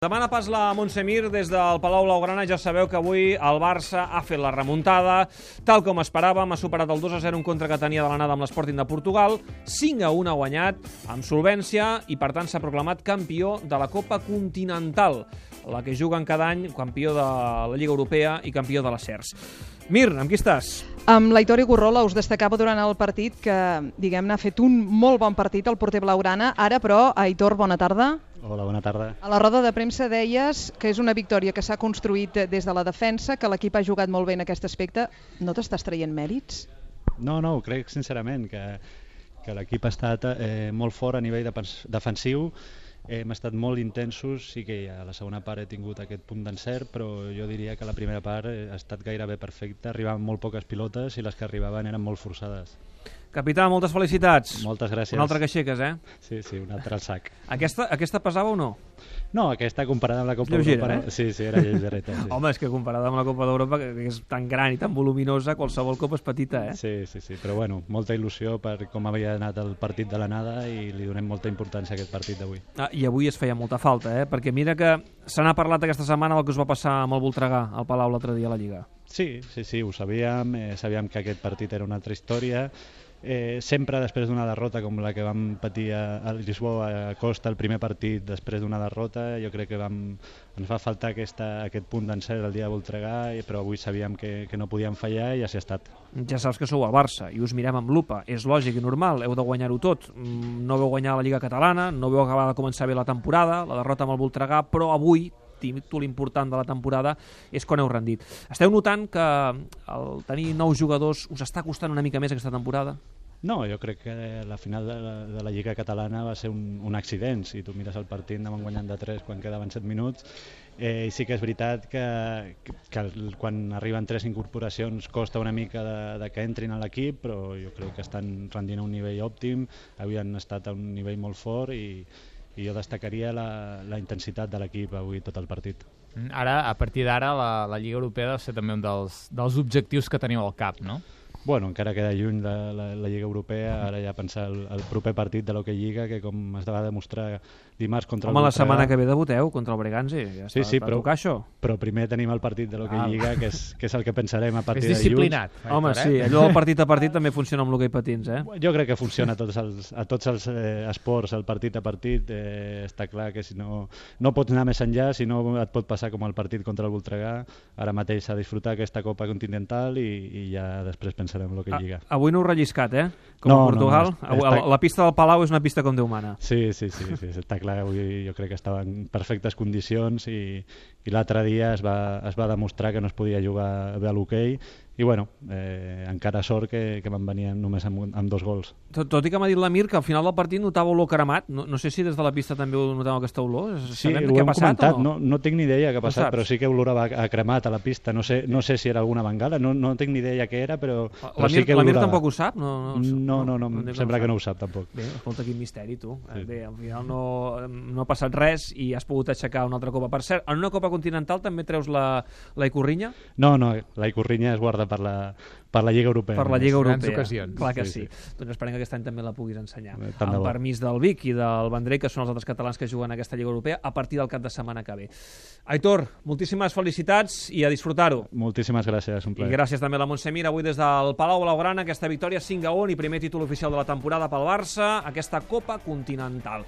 Demana pas la Montse Mir des del Palau Blaugrana. Ja sabeu que avui el Barça ha fet la remuntada. Tal com esperàvem, ha superat el 2-0 en contra que tenia de l'anada amb l'Sporting de Portugal. 5-1 ha guanyat amb solvència i, per tant, s'ha proclamat campió de la Copa Continental, la que juguen cada any, campió de la Lliga Europea i campió de la CERS. Mir, amb qui estàs? Amb l'Aitor Igurrola. Us destacava durant el partit que, diguem-ne, ha fet un molt bon partit el porter blaugrana. Ara, però, Aitor, bona tarda. Hola, bona tarda. A la roda de premsa deies que és una victòria que s'ha construït des de la defensa, que l'equip ha jugat molt bé en aquest aspecte. No t'estàs traient mèrits? No, crec sincerament que l'equip ha estat molt fort a nivell defensiu. Hem estat molt intensos, sí que a la segona part he tingut aquest punt d'encert, però jo diria que la primera part ha estat gairebé perfecta. Arribaven molt poques pilotes i les que arribaven eren molt forçades. Capità, moltes felicitats. Moltes gràcies. Una altra que aixeques, eh? Sí, una altra al sac. Aquesta pesava o no? No, aquesta comparada amb la Copa Lleugera, d'Europa... Sí, era lleugereta. Sí. Home, és que comparada amb la Copa d'Europa, que és tan gran i tan voluminosa, qualsevol copa és petita, eh? Sí, però bueno, molta il·lusió per com havia anat el partit de l'anada i li donem molta importància a aquest partit d'avui. I avui es feia molta falta, eh? Perquè mira que se n'ha parlat aquesta setmana del que us va passar amb el Voltregà al Palau l'altre dia a la Lliga. Sí, ho sabíem, sabíem que aquest partit era una altra història. Sempre després d'una derrota com la que vam patir a Lisboa a Costa el primer partit després d'una derrota, jo crec que ens va faltar aquest punt d'encert el dia de Voltregà, però avui sabíem que no podíem fallar i així ha estat. Ja saps que sou al Barça i us mirem amb lupa, és lògic i normal, heu de guanyar-ho tot. No veu guanyar la Lliga Catalana, no veu acabar de començar bé la temporada, la derrota amb el Voltregà, però avui títol important de la temporada és quan heu rendit. Esteu notant que el tenir nous jugadors us està costant una mica més aquesta temporada? No, jo crec que la final de la Lliga Catalana va ser un accident. Si tu mires el partit, anàvem guanyant de 3 quan quedaven 7 minuts. I sí que és veritat que quan arriben 3 incorporacions costa una mica de que entrin a l'equip, però jo crec que estan rendint a un nivell òptim, havien estat a un nivell molt fort i jo destacaria la intensitat de l'equip avui tot el partit. Ara, a partir d'ara, la Lliga Europea deu ser també un dels objectius que teniu al cap, no? Bueno, encara queda lluny la Lliga Europea, ara ja pensar el proper partit de l'Hockey Lliga, que com es va demostrar dimarts contra el Voltregà... Home, la setmana que ve debuteu contra el Breganzi, ja està, sí, tocar això. Però primer tenim el partit de l'Hockey Lliga, que és el que pensarem a partir de dilluns. És disciplinat. Home, sí, allò del partit a partit també funciona amb l'hoquei patins, eh? Jo crec que funciona a tots els esports, el partit a partit. Està clar que si no pots anar més enllà, si no et pot passar com el partit contra el Voltregà. Ara mateix s'ha disfrutat aquesta Copa Continental i ja després pensarem en l'Hockey Lliga. Avui no heu relliscat, eh? Com a Portugal. La pista del Palau és una pista com Déu mana. Sí, està clar. Avui jo crec que estava en perfectes condicions i l'altre dia es va demostrar que no es podia jugar bé a l'hoquei i bueno, encara sort que van venir només amb 2 gols. Tot i que m'ha dit l'Amir que al final del partit notava olor cremat, no sé si des de la pista també ho notava aquesta olor. Sí, ho hem comentat, no tinc ni idea què ha passat, però sí que olorava a cremat a la pista, no sé si era alguna bengala, no tinc ni idea què era, però sí que olorava. L'Amir tampoc ho sap? No, sembla que no ho sap tampoc. Bé, escolta, quin misteri, tu. Bé, al final no ha passat res i has pogut aixecar una altra copa. Per cert, en una copa continental també treus la Ikurriña? No, la Ikurriña es guarda per la Lliga Europea. Per la Lliga Europea. Grans ocasions. Clar que sí. Doncs esperem que aquest any també la puguis ensenyar. Amb permís del Vic i del Vendrell, que són els altres catalans que juguen a aquesta Lliga Europea, a partir del cap de setmana que ve. Aitor, moltíssimes felicitats i a disfrutar-ho. Moltíssimes gràcies, un plaer. I gràcies també a la Montse Mir, avui des del Palau Blaugrana, aquesta victòria 5-1 i primer títol oficial de la temporada pel Barça, aquesta Copa Continental.